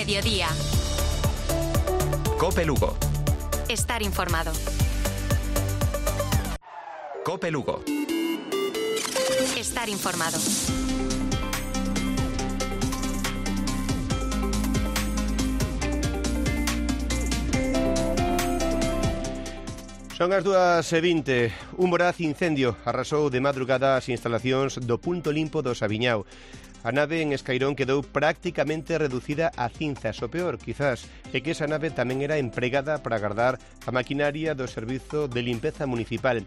Mediodía. COPE Lugo. Estar informado. COPE Lugo. Estar informado. Son as 2:20. Un voraz incendio arrasou de madrugada as instalacións do punto limpo do Sabiñao. A nave en Escairón quedou prácticamente reducida a cinzas. O peor, quizás, é que esa nave tamén era empregada para agardar a maquinaria do Servizo de Limpeza Municipal.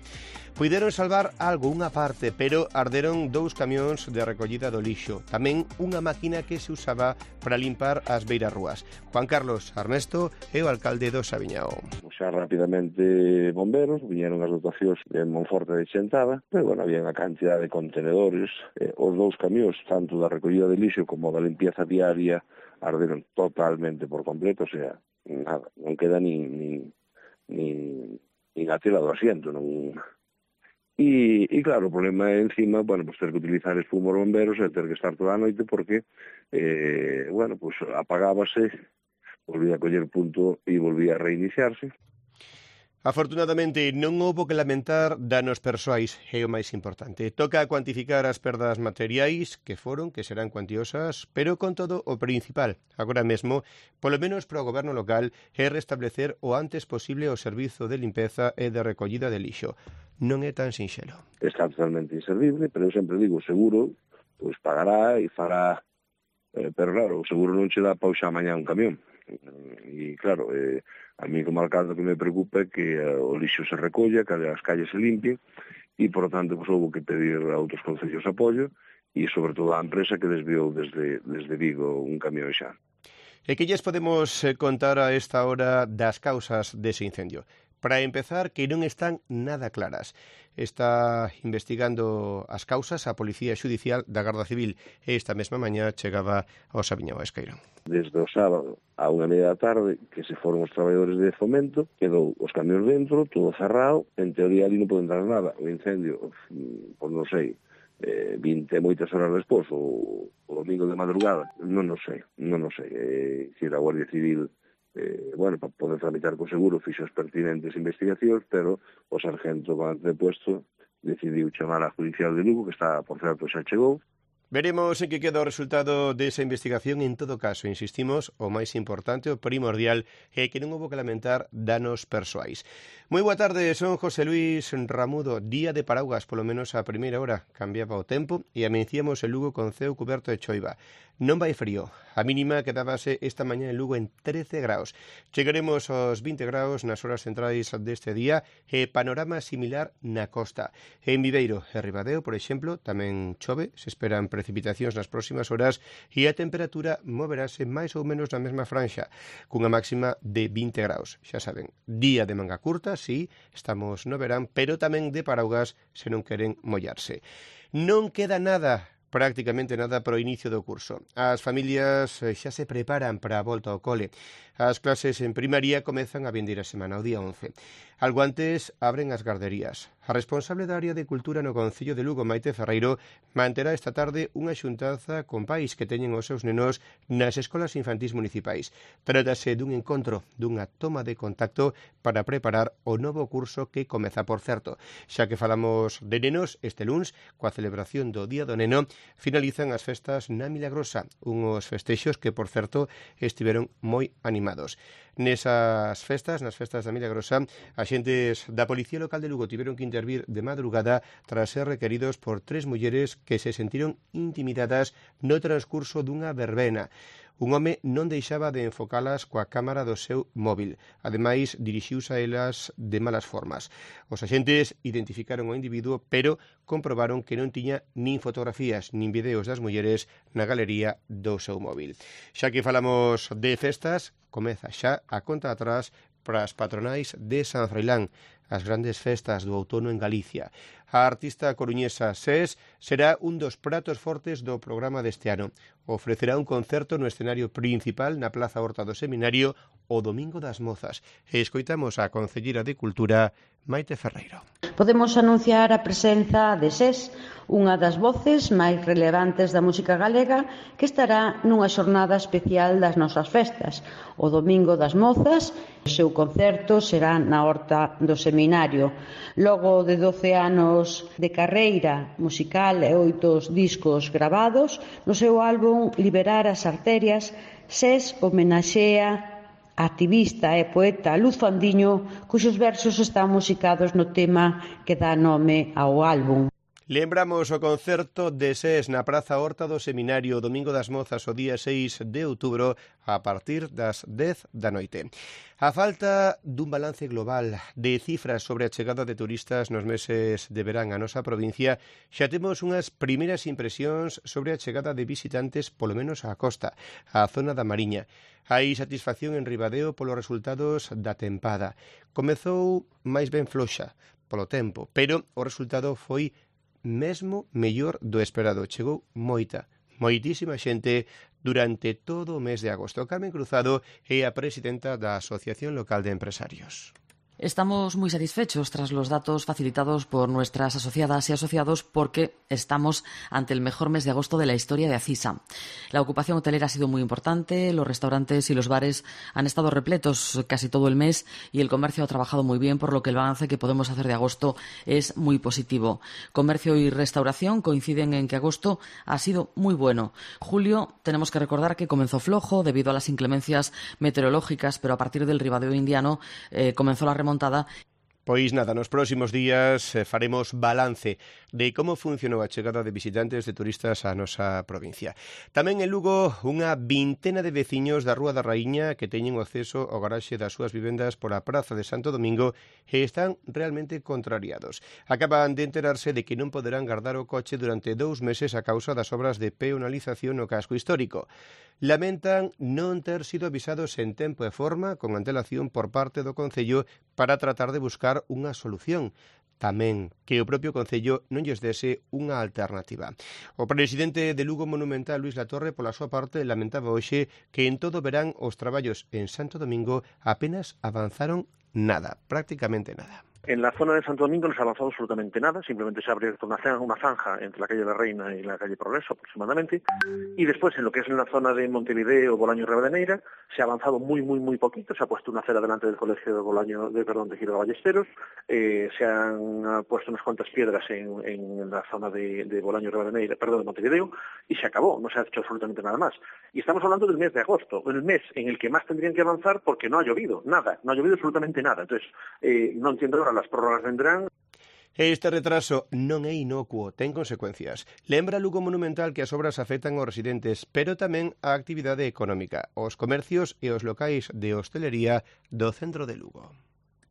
Puideron salvar algo, unha parte, pero arderon 2 camións de recollida do lixo. Tamén unha máquina que se usaba para limpar as beirarrúas. Juan Carlos Armesto é o alcalde do Sabiñao. Xa rapidamente bomberos, viñeron as dotacións de Monforte de Xentada, pero bueno, había unha cantidad de contenedores, os 2 camións, tanto da recollida de lixo como da limpieza diaria, arderon totalmente por completo, o sea, nada, non queda nin a tela do asiento, non. E claro, o problema é encima, bueno, pues ter que utilizar espumos bomberos e ter que estar toda a noite porque, bueno, pues apagábase, volvía a coller punto e volvía a reiniciarse. Afortunadamente non houbo que lamentar danos persoais, é o máis importante. Toca cuantificar as perdas materiais, que serán cuantiosas, pero con todo o principal, agora mesmo, polo menos para o goberno local, é restablecer o antes posible o servizo de limpeza e de recollida de lixo. Non é tan sinxelo. Está totalmente inservible, pero eu sempre digo, o seguro, pois pagará e fará, pero claro, o seguro non che dá para usar mañá un camión. E claro, a mí como alcalde que me preocupa é que o lixo se recolla, que as calles se limpien e, por tanto, pues, houve que pedir a outros concellos apoio e, sobre todo, a empresa que desviou desde Vigo un camión xa. E que lles podemos contar a esta hora das causas dese incendio? Para empezar, que non están nada claras. Está investigando as causas a Policía Xudicial da Garda Civil e esta mesma mañá chegaba ao Sabiñao a Escairón. Desde o sábado a 1:30 da tarde, que se foron os traballadores de Fomento, quedou os camións dentro, todo cerrado, en teoría ali non pode entrar nada. O incendio, pois non sei, 20 e moitas horas despois, o domingo de madrugada, non sei. Se a Guardia Civil, bueno, para poder tramitar co seguro, fixo as pertinentes investigacións, pero o sargento con antepuesto decidiu chamar a Judicial de Lugo, que está, por certo, xa chegou. Veremos en que queda o resultado desa investigación. En todo caso, insistimos, o máis importante, o primordial, é que non houbo que lamentar danos persoais. Moi boa tarde, son José Luis Ramudo. Día de paraugas, polo menos a primeira hora. Cambiaba o tempo e amencíamos en Lugo con ceo cuberto de choiva. Non vai frío. A mínima quedábase esta mañá en Lugo en 13 graus. Chegaremos aos 20 graus nas horas centrais deste día e panorama similar na costa. En Viveiro e Ribadeo, por exemplo, tamén chove, se esperan precipitacións nas próximas horas e a temperatura moverase máis ou menos na mesma franxa, cunha máxima de 20 graus. Xa saben, día de manga curta, sí, estamos no verán, pero tamén de paraugas se non queren mollarse. Non queda nada, prácticamente nada, para o inicio do curso. As familias xa se preparan para a volta ao cole. As clases en primaria comezan a vindeira semana, o día 11. Algo antes abren as garderías. A responsable da área de Cultura no Concello de Lugo, Maite Ferreiro, manterá esta tarde unha xuntanza con pais que teñen os seus nenos nas escolas infantís municipais. Trátase dun encontro, dunha toma de contacto para preparar o novo curso que comeza, por certo. Xa que falamos de nenos, este luns, coa celebración do Día do Neno, finalizan as festas na Milagrosa, unhos festexos que, por certo, estiveron moi animados. Nesas festas, nas festas da Milagrosa, axentes da Policía Local de Lugo tiveron que intervir de madrugada tras ser requeridos por 3 mulleres que se sentiron intimidadas no transcurso dunha verbena. Un home non deixaba de enfocalas coa cámara do seu móvil. Ademais, dirixiuse a elas de malas formas. Os axentes identificaron o individuo, pero comprobaron que non tiña nin fotografías nin videos das mulleres na galería do seu móvil. Xa que falamos de festas, comeza xa a conta atrás para as patronais de San Froilán, as grandes festas do outono en Galicia. A artista coruñesa SES será un dos pratos fortes do programa deste ano. Ofrecerá un concerto no escenario principal na Plaza Horta do Seminario o Domingo das Mozas. E escoitamos a concelleira de Cultura, Maite Ferreiro. Podemos anunciar a presenza de SES, unha das voces máis relevantes da música galega, que estará nunha xornada especial das nosas festas, o Domingo das Mozas. O seu concerto será na Horta do Seminario. Logo de 12 anos de carreira musical e 8 discos gravados, no seu álbum Liberar as Arterias, SES homenaxea a activista e poeta Luz Fandiño, cuxos versos están musicados no tema que dá nome ao álbum. Lembramos o concerto de SES na Praza Horta do Seminario, Domingo das Mozas, o día 6 de outubro, a partir das 10 da noite. A falta dun balance global de cifras sobre a chegada de turistas nos meses de verán a nosa provincia, xa temos unhas primeiras impresións sobre a chegada de visitantes, polo menos á costa, á zona da Mariña. Hai satisfacción en Ribadeo polos resultados da tempada. Comezou máis ben floxa polo tempo, pero o resultado foi mesmo mellor do esperado. Chegou moitísima xente durante todo o mes de agosto. Carmen Cruzado é a presidenta da Asociación Local de Empresarios. Estamos muy satisfechos tras los datos facilitados por nuestras asociadas y asociados porque estamos ante el mejor mes de agosto de la historia de Acisa. La ocupación hotelera ha sido muy importante, los restaurantes y los bares han estado repletos casi todo el mes y el comercio ha trabajado muy bien, por lo que el balance que podemos hacer de agosto es muy positivo. Comercio y restauración coinciden en que agosto ha sido muy bueno. Julio tenemos que recordar que comenzó flojo debido a las inclemencias meteorológicas, pero a partir del Ribadeo indiano comenzó la remontada. Pois nada, nos próximos días faremos balance de como funcionou a chegada de visitantes de turistas á nosa provincia. Tamén en Lugo, unha vintena de veciños da Rúa da Raíña que teñen o acceso ao garaxe das súas vivendas pola Praza de Santo Domingo e están realmente contrariados. Acaban de enterarse de que non poderán guardar o coche durante 2 meses a causa das obras de peonalización no casco histórico. Lamentan non ter sido avisados en tempo e forma con antelación por parte do Concello para tratar de buscar unha solución. Tamén que o propio Concello non lles dese unha alternativa. O presidente de Lugo Monumental, Luís Latorre, pola súa parte, lamentaba hoxe que en todo verán os traballos en Santo Domingo apenas avanzaron nada, prácticamente nada. En la zona de Santo Domingo no se ha avanzado absolutamente nada, simplemente se ha abierto una zanja entre la calle de la Reina y la calle Progreso aproximadamente, y después en lo que es en la zona de Montevideo, Bolaño y Ribadeneyra, se ha avanzado muy poquito, se ha puesto una acera delante del colegio de Giro de Ballesteros, se han puesto unas cuantas piedras en la zona de Bolaño y Ribadeneyra, de Montevideo, y se acabó, no se ha hecho absolutamente nada más. Y estamos hablando del mes de agosto, el mes en el que más tendrían que avanzar porque no ha llovido, nada, no ha llovido absolutamente nada. Entonces, no entiendo ahora, las prórrogas vendrán. Este retraso non é inocuo, ten consecuencias. Lembra Lugo Monumental que as obras afectan aos residentes, pero tamén a actividade económica, os comercios e os locais de hostelería do centro de Lugo.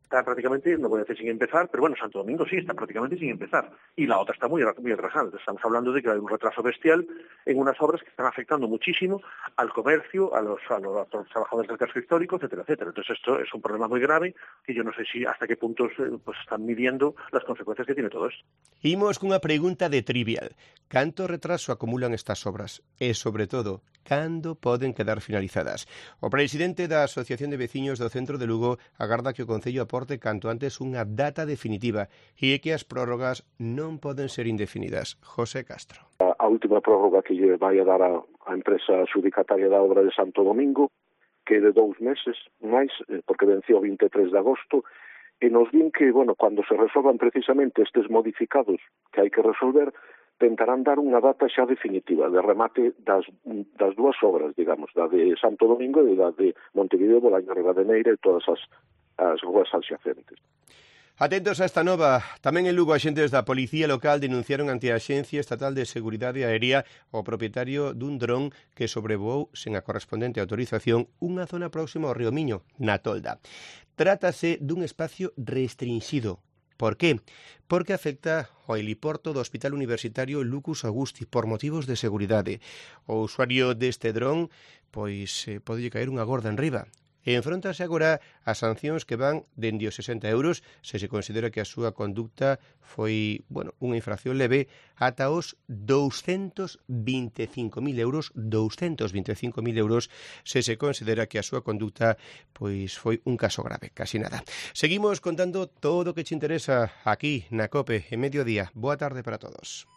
Está prácticamente, no voy a decir sin empezar, pero bueno, Santo Domingo sí, está prácticamente sin empezar. Y la otra está muy atrasada. Estamos hablando de que hay un retraso bestial en unas obras que están afectando muchísimo al comercio, a los trabajadores del casco histórico, etcétera, etcétera. Entonces esto es un problema muy grave que yo no sé si hasta qué puntos pues están midiendo las consecuencias que tiene todo esto. Imos cunha pregunta de trivial. Canto retraso acumulan estas obras? E, sobre todo, cando poden quedar finalizadas? O presidente da Asociación de Veciños do Centro de Lugo agarda que o Concello aporte canto antes unha data definitiva e que as prórrogas non poden ser indefinidas. José Castro. A última prórroga que lle vai a dar a empresa adjudicataria da obra de Santo Domingo, que é de 2 meses máis, porque venceu o 23 de agosto, e nos din que, cando se resolvan precisamente estes modificados que hai que resolver, tentarán dar unha data xa definitiva de remate das 2 obras, digamos, da de Santo Domingo e da de Montevideo, Bolaño, Ribadeneyra e todas as rúas adxacentes. Atentos a esta nova. Tamén en Lugo, axentes da Policía Local denunciaron ante a Axencia Estatal de Seguridade Aérea o propietario dun dron que sobrevoou sen a correspondente autorización unha zona próxima ao río Miño, na Tolda. Trátase dun espacio restringido. Por qué? Porque afecta ao heliporto do Hospital Universitario Lucus Augusti por motivos de seguridade. O usuario deste dron, pois, pode caer unha gorda enriba. e enfróntase agora a sancións que van dende os 60 euros se se considera que a súa conducta foi, unha infracción leve, ata os 225.000 euros, 225.000 euros se se considera que a súa conducta pois foi un caso grave, casi nada. Seguimos contando todo o que te interesa aquí na COPE en Mediodía. Boa tarde para todos.